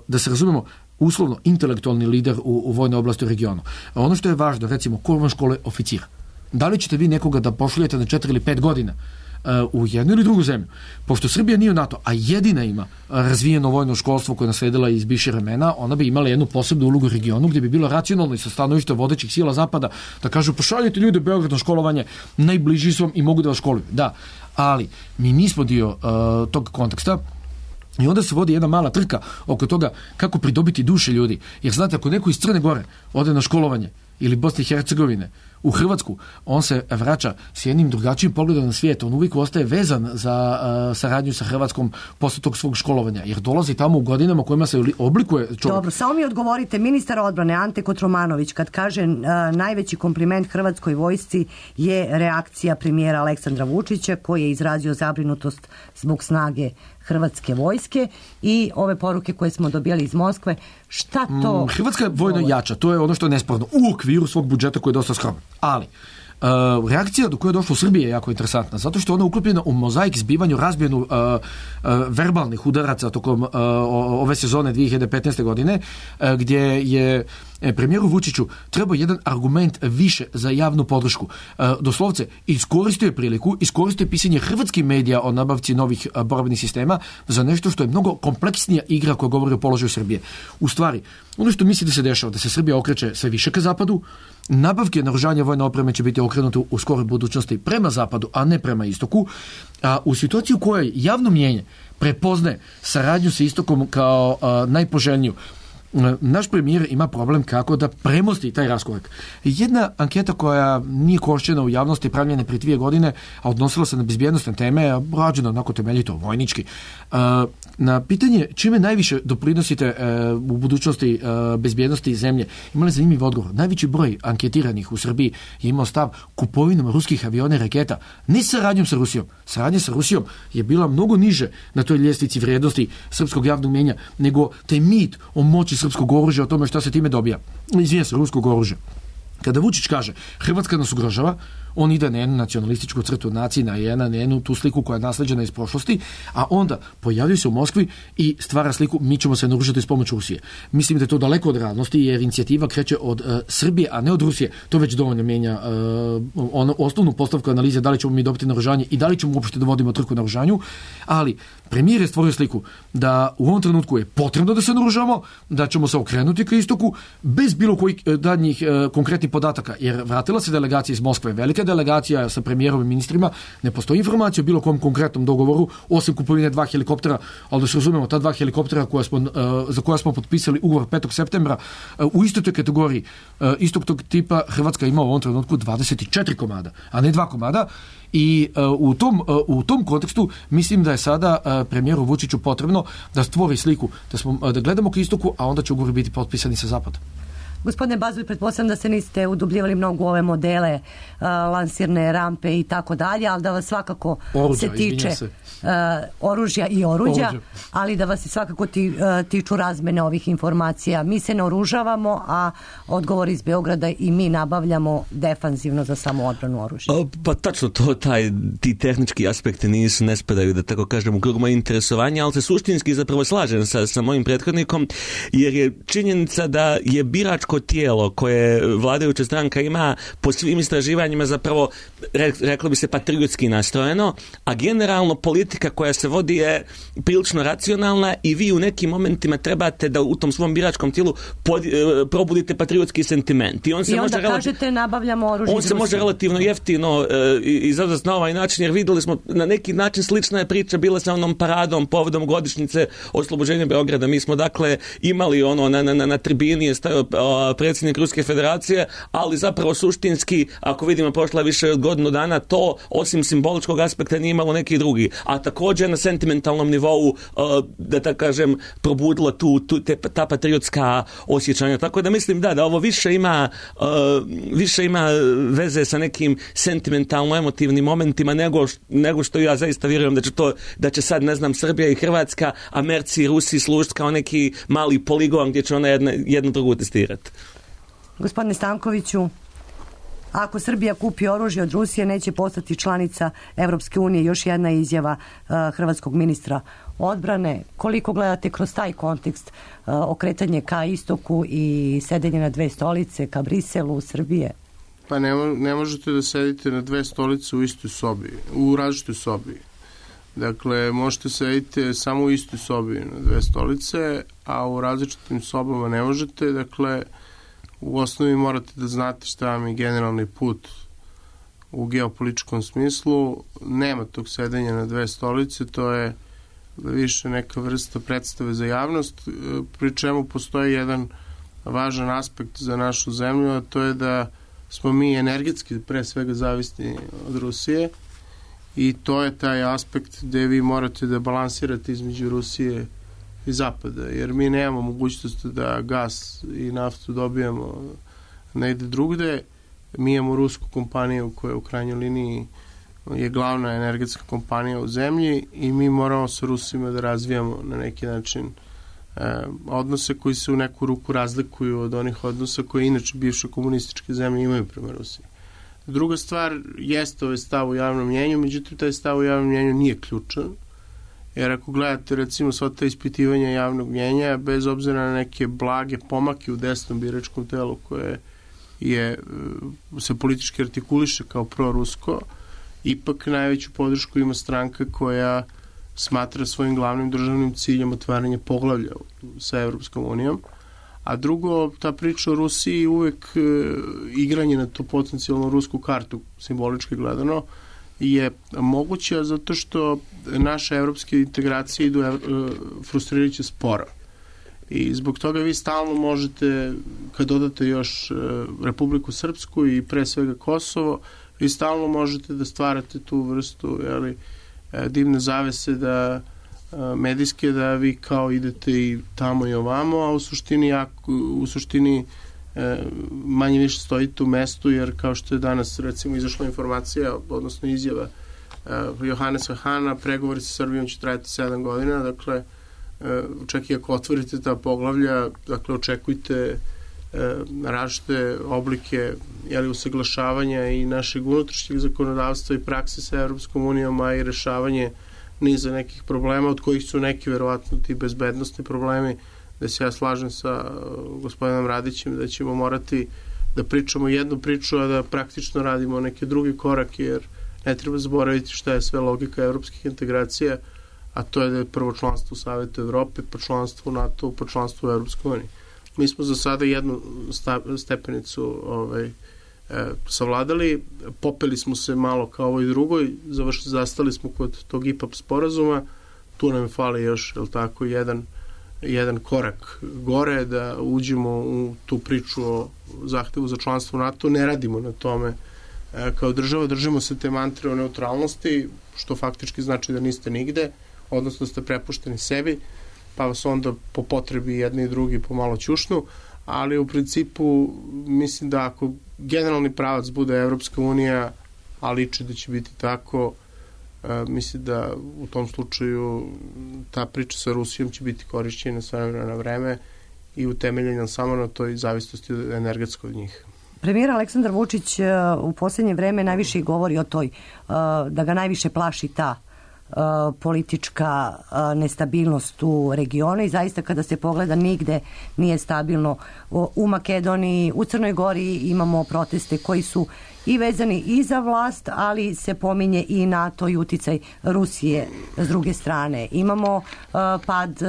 da se razumemo, uslovno intelektualni lider u vojnoj oblasti u regionu. Ono što je važno, recimo, ko vam škole oficira? Da li ćete vi nekoga da pošaljete na 4 ili 5 godina u jednu ili drugu zemlju? Pošto Srbija nije u NATO, a jedina ima razvijeno vojno školstvo koje je nasledila iz bivših vremena, ona bi imala jednu posebnu ulogu u regionu gdje bi bilo racionalno i sa stanovišta vodećih sila Zapada da kažu pošaljite ljude u Beograd na školovanje, najbliži su vam i mogu da vas školuju. Da, ali mi nismo dio tog konteksta. I onda se vodi jedna mala trka oko toga kako pridobiti duše ljudi. Jer znate, ako neko iz Crne Gore ode na školovanje ili Bosne i Hercegovine u Hrvatsku, on se vraća s jednim drugačijim pogledom na svijet. On uvijek ostaje vezan za saradnju sa Hrvatskom posle tog svog školovanja, jer dolazi tamo u godinama kojima se oblikuje čovjek. Dobro, samo mi odgovorite, ministar odbrane Ante Kotromanović kad kaže najveći kompliment Hrvatskoj vojsci je reakcija premijera Aleksandra Vučića koji je izrazio zabrinutost zbog snage Hrvatske vojske i ove poruke koje smo dobijali iz Moskve. Šta to? Hrvatska je vojno jača, to je ono što je nesporno u okviru svog budžeta koji je dosta skroman. Ali reakcija do koje je došlo u Srbiji je jako interesantna, zato što ona je uklopljena u mozaik zbivanju razbijenu verbalnih udaraca tokom ove sezone 2015. godine, gdje je premijeru Vučiću trebao jedan argument više za javnu podršku. Doslovce, iskoristio je priliku, iskoristio je pisanje hrvatskih medija o nabavci novih borbenih sistema za nešto što je mnogo kompleksnija igra koja govori o položaju Srbije. U stvari, ono što misli da se dešava, da se Srbija okreće sve više ka zapadu, nabavke naoružanja vojne opreme će biti okrenute u skoroj budućnosti prema zapadu, a ne prema istoku, a u situaciji u kojoj javno mnijenje prepoznaje saradnju sa istokom kao najpoželjniju, naš premijer ima problem kako da premosti taj raskorak. Jedna anketa koja nije korišćena u javnosti, pravljena prije 2 godine, a odnosila se na bezbjednostne teme, rađena onako temeljito, vojnički. Na pitanje čime najviše doprinosite u budućnosti bezbjednosti zemlje, imali zanimljiv odgovor. Najveći broj anketiranih u Srbiji je imao stav kupovinom ruskih aviona i raketa, ne saradnjom sa Rusijom. Saradnja sa Rusijom je bila mnogo niže na toj ljestvici vrijednosti srpskog javnog mnijenja, nego taj mit o moći srpskog oružja, o tome šta se time dobija. Izvijem se, ruskog oružja. Kada Vučić kaže Hrvatska nas ugrožava, On ide na jednu nacionalističku crtu nacije, na jednu tu sliku koja je nasleđena iz prošlosti, a onda pojavio se u Moskvi i stvara sliku mi ćemo se narušiti s pomoću Rusije. Mislim da je to daleko od realnosti, jer inicijativa kreće od Srbije, a ne od Rusije. To već dovoljno mijenja osnovnu postavku analize da li ćemo mi dobiti naoružanje i da li ćemo uopšte da vodimo trku naoružanju, ali premijer je stvorio sliku da u ovom trenutku je potrebno da se naoružamo, da ćemo se okrenuti ka istoku bez bilo kojih daljnjih konkretnih podataka, jer vratila se delegacija iz Moskve, velika delegacija sa premijerom i ministrima, ne postoji informacija o bilo kom konkretnom dogovoru, osim kupovine 2 helikoptera, ali da se razumemo, ta 2 helikoptera za koja smo potpisali ugovor 5. septembra, u istoj toj kategoriji, istog tog tipa, Hrvatska ima u ovom trenutku 24 komada, a ne 2 komada. I u tom kontekstu mislim da je sada premijeru Vučiću potrebno da stvori sliku, da gledamo ka istoku, a onda će ugovori biti potpisani sa zapada. Gospodine Bazuli, pretpostavljam da se niste udubljivali mnogo u ove modele, lansirne rampe i tako dalje, ali da vas svakako se tiče oružja i oruđa, ali da vas se svakako tiču razmene ovih informacija. Mi se naoružavamo, a odgovor iz Beograda i mi nabavljamo defanzivno za samoodbranu oružja. Pa tačno to, ti tehnički aspekti ne spadaju, da tako kažem, u krug moje interesovanja, ali se suštinski zapravo slažem sa mojim prethodnikom, jer je činjenica da je biračko tijelo koje vladajuća stranka ima po svim istraživanjima zapravo, reklo bi se, patriotski nastrojeno, a generalno politika koja se vodi je prilično racionalna i vi u nekim momentima trebate da u tom svom biračkom tijelu probudite patriotski sentiment. I onda kažete nabavljamo oružje. On se može relativno jeftino izazvati na ovaj način, jer vidjeli smo na neki način slična je priča bila sa onom paradom povodom godišnjice oslobođenja Beograda. Mi smo dakle imali na tribini je stajao predsjednik Ruske federacije, ali zapravo suštinski, ako vidimo prošla više od godinu dana, to osim simboličkog aspekta nije imalo neki drugi. A također na sentimentalnom nivou, da tako kažem, probudila ta patriotska osjećanja. Tako da mislim da ovo više ima veze sa nekim sentimentalno-emotivnim momentima nego što ja zaista vjerujem da će sad, ne znam, Srbija i Hrvatska, Americi i Rusi služiti kao neki mali poligon gdje će ona jednu drugu testirati. Gospodine Stankoviću, ako Srbija kupi oružje od Rusije, neće postati članica Evropske unije. Još jedna izjava hrvatskog ministra odbrane. Koliko gledate kroz taj kontekst okretanje ka istoku i sedenje na 2 stolice, ka Briselu, Srbije? Pa ne možete da sedite na 2 stolice u istoj sobi, u različitoj sobi. Dakle, možete sediti samo u istoj sobi na 2 stolice, a u različitim sobama ne možete. Dakle, u osnovi morate da znate šta vam je generalni put u geopolitičkom smislu. Nema tog sedenja na 2 stolice, to je više neka vrsta predstave za javnost, pri čemu postoji jedan važan aspekt za našu zemlju, a to je da smo mi energetski pre svega zavisni od Rusije i to je taj aspekt gde vi morate da balansirate između Rusije i Zapada, jer mi nemamo mogućnost da gas i naftu dobijamo negde drugde. Mi imamo rusku kompaniju koja u krajnjoj liniji je glavna energetska kompanija u zemlji i mi moramo sa Rusima da razvijamo na neki način odnose koji se u neku ruku razlikuju od onih odnosa koje inače bivše komunističke zemlje imaju prema Rusiji. Druga stvar jeste ovaj stav u javnom mnjenju, međutim taj stav u javnom mnjenju nije ključan, jer ako gledate recimo sva ta ispitivanja javnog mnjenja, bez obzira na neke blage pomake u desnom biračkom telu koje se politički artikuliše kao prorusko, ipak najveću podršku ima stranka koja smatra svojim glavnim državnim ciljem otvaranje poglavlja sa Evropskom unijom. A drugo, ta priča o Rusiji uvek igranje na tu potencijalnu rusku kartu, simbolički gledano, je moguća zato što naše evropske integracije idu frustrirajuće sporo. I zbog toga vi stalno možete, kad dodate još Republiku Srpsku i pre svega Kosovo, vi stalno možete da stvarate tu vrstu divne zavese da medijske, da vi kao idete i tamo i ovamo, a u suštini manje više stojite u mestu, jer kao što je danas recimo izašla informacija, odnosno izjava Johanesa Hana, pregovori sa Srbijom će trajati 7 godina, dakle čak i ako otvorite ta poglavlja, dakle očekujte različite oblike usaglašavanja i našeg unutrašnjeg zakonodavstva i prakse sa Evropskom unijom, a i rešavanje niza nekih problema, od kojih su neki verovatno ti bezbednostni problemi, da se ja slažem sa gospodinom Radićem da ćemo morati da pričamo jednu priču, a da praktično radimo neke drugi korake, jer ne treba zaboraviti šta je sve logika evropskih integracija, a to je da je prvo članstvo u Savetu Evrope, pa članstvo u NATO, pa članstvo u Evropskoj uniji. Mi smo za sada jednu stepenicu savladali, popeli smo se malo kao ovoj drugoj, zastali smo kod tog IPAP sporazuma, tu nam fali još, jedan korak gore, da uđemo u tu priču o zahtevu za članstvo u NATO, ne radimo na tome kao država, držimo se te mantre o neutralnosti, što faktički znači da niste nigde, odnosno da ste prepušteni sebi, pa vas onda po potrebi jedni i drugi pomalo ćušnu, ali u principu mislim da ako generalni pravac bude Evropska unija, a liči da će biti tako, mislim da u tom slučaju ta priča sa Rusijom će biti korišćena na vreme i utemeljena samo na toj zavisnosti energetskoj od njih. Premijer Aleksandar Vučić u posljednje vreme najviše govori o toj, da ga najviše plaši ta politička nestabilnost u regionu i zaista kada se pogleda nigde nije stabilno. U Makedoniji, u Crnoj Gori imamo proteste koji su i vezani i za vlast, ali se pominje i NATO i uticaj Rusije s druge strane. Imamo pad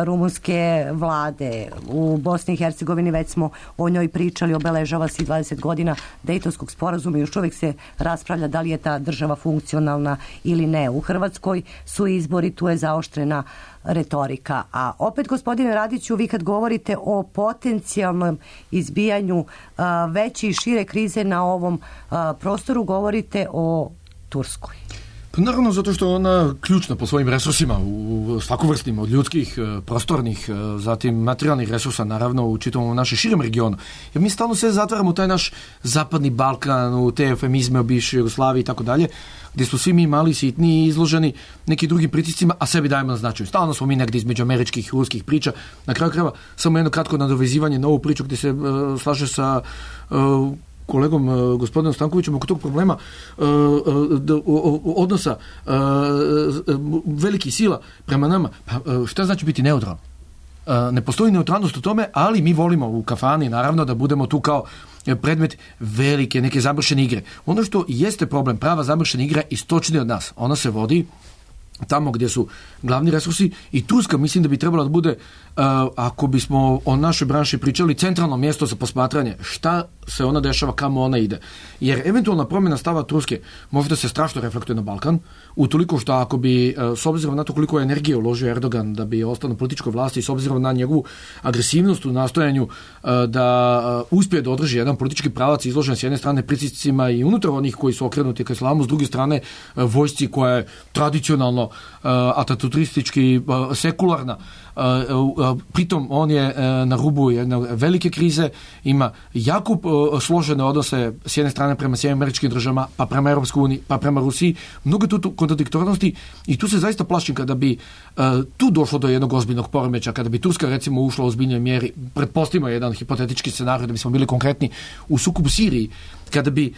rumunske vlade. U Bosni i Hercegovini već smo o njoj pričali, obeležava se 20 godina Dejtonskog sporazuma i još uvijek se raspravlja da li je ta država funkcionalna ili ne. U Hrvatskoj su izbori, tu je zaoštrena retorika. A opet, gospodine Radiću, vi kad govorite o potencijalnom izbijanju veće i šire krize na ovom prostoru, govorite o Turskoj. Pa naravno, zato što je ona ključna po svojim resursima, u svakovrsnim, od ljudskih, prostornih, zatim materijalnih resursa, naravno, u čitavom našem širem regionu. Jer mi stalno sve zatvaramo u taj naš zapadni Balkan, u te eufemizme o bivšoj Jugoslaviji i tako dalje, gdje smo svi mi mali, sitni i izloženi nekim drugim pritiscima, a sebi dajemo na značaju. Stalno smo mi negdje između američkih i ruskih priča. Na kraju krajeva, samo jedno kratko nadovezivanje na ovu priču gdje se slaže sa kolegom gospodinom Stankovićem oko tog problema odnosa velikih sila prema nama. Pa, šta znači biti neutralan? Ne postoji neutralnost u tome, ali mi volimo u kafani naravno da budemo tu kao predmet velike neke zamršene igre. Ono što jeste problem, prava zamršena igra istočnije od nas. Ona se vodi tamo gdje su glavni resursi i Turska mislim da bi trebala da bude, ako bismo o našoj branši pričali, centralno mjesto za posmatranje šta se ona dešava, kamo ona ide. Jer eventualna promjena stava Turske možda se strašno reflektuje na Balkan, utoliko što ako bi, s obzirom na to koliko je energije uložio Erdogan da bi ostao na političkoj vlasti i s obzirom na njegovu agresivnost u nastojanju da uspije da održi jedan politički pravac izložen s jedne strane pritiscima i unutar onih koji su okrenuti ka islamu, s druge strane vojsci koja je tradicionalno ataturistički sekularna. Pritom on je na rubu jedne velike krize, ima jako složene odnose s jedne strane prema Sjedinjenim Američkim Državama, pa prema Europskoj uniji, pa prema Rusiji, mnogo tu kontradiktornosti i tu se zaista plašim kada bi tu došlo do jednog ozbiljnog poremeća, kada bi Turska recimo ušla u ozbiljnoj mjeri, pretpostavimo jedan hipotetički scenarij da bismo bili konkretni u sukobu Siriji, kada bi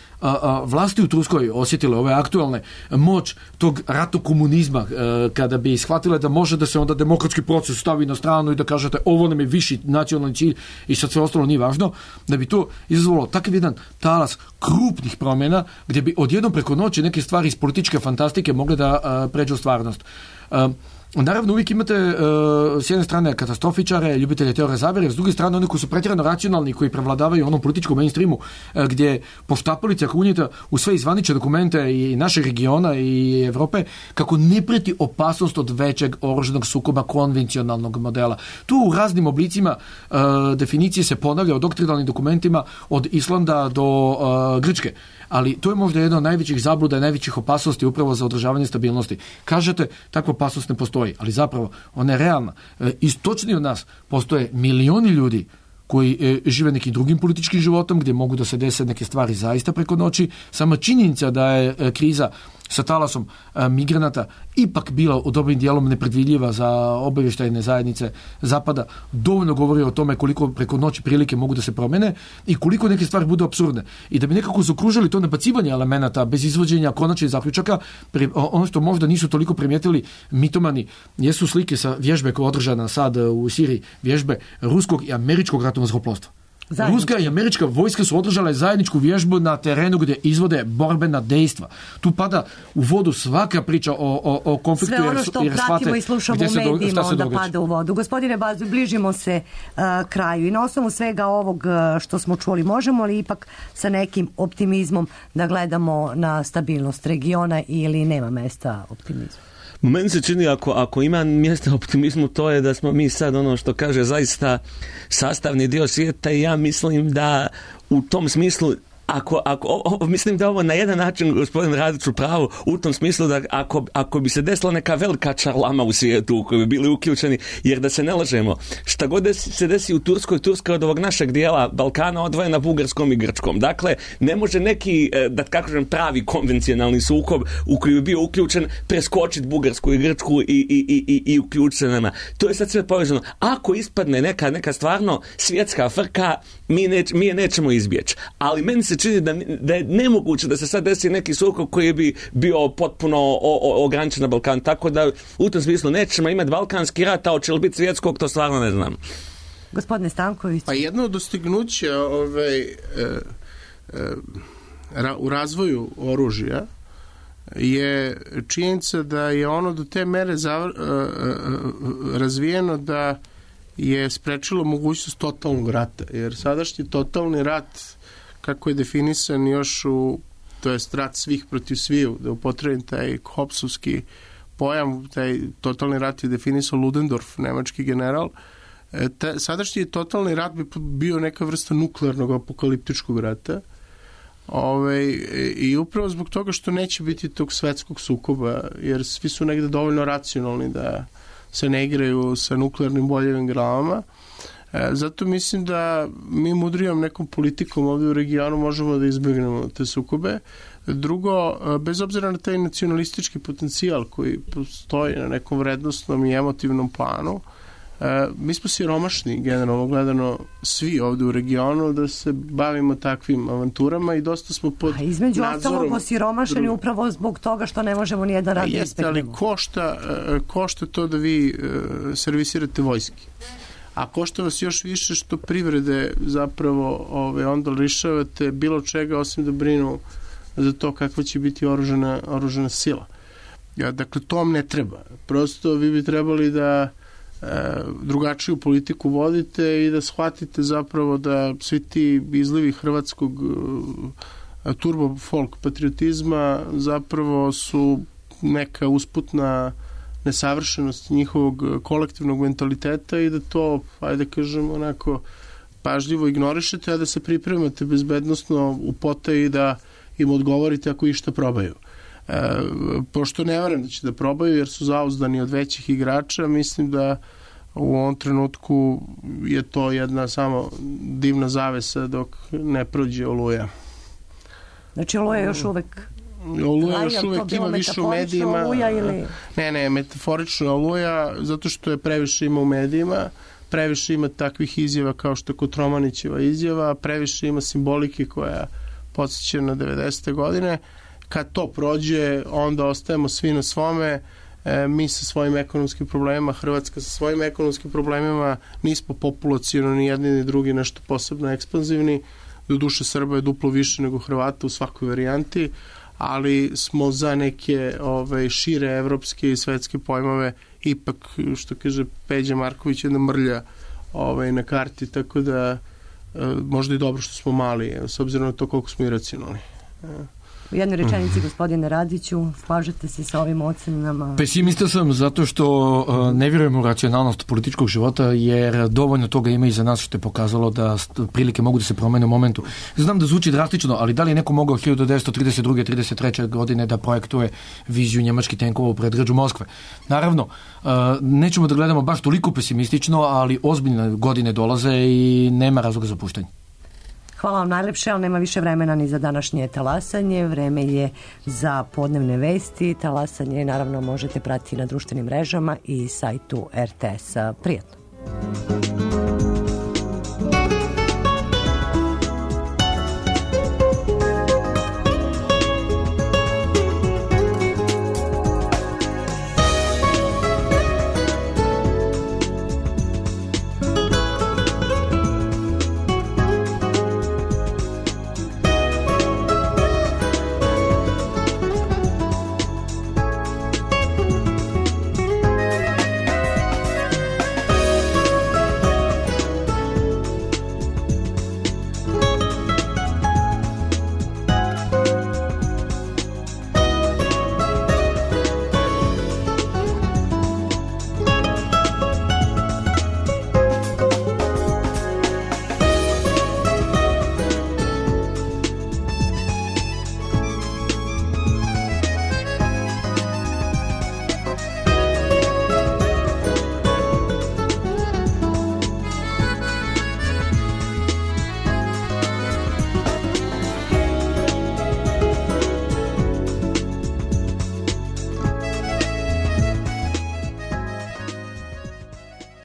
vlasti u Turskoj osjetile ove aktualne moć tog ratokomunizma, kada bi shvatile da može da se onda demokratski proces stavi na stranu i da kažete ovo nam je viši nacionalni cilj i sad sve ostalo nije važno, da bi to izazvalo takav jedan talas krupnih promjena gdje bi odjednom preko noći neke stvari iz političke fantastike mogle da pređu u stvarnost. Naravno, uvijek imate s jedne strane katastrofičare, ljubitelje teorije zavere, s druge strane oni koji su pretjerano racionalni, koji prevladavaju u onom političkom mainstreamu, gdje poštapalica kunjeta u sve izvanične dokumente i našeg regiona i Evrope, kako ne prijeti opasnost od većeg oružanog sukoba konvencionalnog modela. Tu u raznim oblicima definicije se ponavlja u doktrinalnim dokumentima od Islanda do Grčke. Ali to je možda jedna od najvećih zabluda i najvećih opasnosti upravo za održavanje stabilnosti. Kažete, takva opasnost ne postoji, ali zapravo ona je realna. Istočnije od nas postoje milioni ljudi koji žive nekim drugim političkim životom, gdje mogu da se dese neke stvari zaista preko noći. Sama činjenica da je kriza sa talasom migranata ipak bila u dobrim dijelom nepredvidljiva za obavještajne zajednice Zapada, dovoljno govori o tome koliko preko noći prilike mogu da se promene i koliko neke stvari budu apsurdne. I da bi nekako zakružili to nabacivanje elemenata bez izvođenja konačnih zaključaka, ono što možda nisu toliko primijetili mitomani jesu slike sa vježbe koja je održana sad u Siriji, vježbe ruskog i američkog ratnog zrakoplovstva. Ruska i američka vojska su održale zajedničku vježbu na terenu gdje izvode borbena dejstva. Tu pada u vodu svaka priča o konfliktu. Sve ono što pratimo i slušamo u medijima onda pada u vodu. Gospodine Bazu, bližimo se kraju i na osnovu svega ovog što smo čuli, možemo li ipak sa nekim optimizmom da gledamo na stabilnost regiona ili nema mesta optimizmu? Meni se čini ako ima mjesta optimizmu, to je da smo mi sad ono što kaže zaista sastavni dio svijeta i ja mislim da u tom smislu mislim da ovo na jedan način, gospodin Radić, u pravu u tom smislu da ako bi se desila neka velika čarlama u svijetu u kojoj bi bili uključeni, jer da se ne lažemo, šta god se desi u Turskoj, Turska od ovog našeg dijela Balkana odvojena Bugarskom i Grčkom. Dakle, ne može neki, da kažem, pravi konvencionalni sukob u koji bi bio uključen preskočiti Bugarsku i Grčku i uključiti se nama. To je sad sve povezano. Ako ispadne neka stvarno svjetska frka, mi je nećemo izbjeći. Ali meni se čini da je nemoguće da se sad desi neki sukob koji bi bio potpuno ograničen na Balkan. Tako da u tom smislu nećemo imati balkanski rat, a hoće li biti svjetskog, to stvarno ne znam. Gospodine Stanković. Pa jedno od dostignuća u razvoju oružja je činjenica da je ono do te mere razvijeno da je sprečilo mogućnost totalnog rata. Jer sadašnji totalni rat, kako je definisan još to jest rat svih protiv sviju, da upotrebim taj Hobbesovski pojam, taj totalni rat je definisao Ludendorff, nemački general. Sadašnji totalni rat bi bio neka vrsta nuklearnog apokaliptičkog rata. I upravo zbog toga što neće biti tog svetskog sukoba, jer svi su negde dovoljno racionalni da se ne igraju sa nuklearnim boljevim glavama. Zato mislim da mi mudrijom nekom politikom ovdje u regionu možemo da izbjegnemo te sukobe. Drugo, bez obzira na taj nacionalistički potencijal koji postoji na nekom vrednostnom i emotivnom planu, mi smo siromašni, generalno gledano, svi ovdje u regionu, da se bavimo takvim avanturama i dosta smo pod nadzorom. Između ostalog osiromašeni upravo zbog toga što ne možemo nijedan rad izbjegnemo. Ali košta to da vi servisirate vojski. A košta vas još više što privrede zapravo onda lišavate bilo čega osim da brinu za to kakva će biti oružana sila. Dakle, to vam ne treba. Prosto vi bi trebali da drugačiju politiku vodite i da shvatite zapravo da svi ti izlivi hrvatskog turbo folk patriotizma zapravo su neka usputna nesavršenost njihovog kolektivnog mentaliteta i da to, ajde kažem, onako pažljivo ignorišete, a da se pripremate bezbednosno u potaji da im odgovorite ako išta probaju. Pošto ne verujem da će da probaju jer su zauzdani od većih igrača, mislim da u ovom trenutku je to jedna samo divna zavesa dok ne prođe Oluja. Znači Oluja još uvek Oluja još uvek ima više u medijima. Ne, metaforično Oluja, zato što je previše ima u medijima, previše ima takvih izjava kao što je Kotromanićeva izjava, previše ima simbolike koja podsjeća na 90. godine. Kad to prođe, onda ostajemo svi na svome, mi sa svojim ekonomskim problemima, Hrvatska sa svojim ekonomskim problemima, nismo populacijalno ni jedni ni drugi nešto posebno ekspanzivni, do duše Srba je duplo više nego Hrvata u svakoj varijanti, ali smo za neke šire evropske i svetske pojmove ipak, što kaže Peđa Marković, jedna mrlja na karti, tako da možda i dobro što smo mali, s obzirom na to koliko smo iracionalni. U jednoj rečenici, gospodine Radiću, slažete se sa ovim ocenama? Pesimista sam zato što ne vjerujem u racionalnost političkog života, jer dovoljno toga ima i za nas što je pokazalo da prilike mogu da se promene u momentu. Znam da zvuči drastično, ali da li je neko mogao 1932. 33. godine da projektuje viziju njemačkih tenkova u predgrađu Moskve? Naravno, nećemo da gledamo baš toliko pesimistično, ali ozbiljne godine dolaze i nema razloga za puštanje. Hvala vam najlepše, ali nema više vremena ni za današnje talasanje. Vreme je za podnevne vesti. Talasanje naravno možete pratiti na društvenim mrežama i sajtu RTS-a. Prijatno.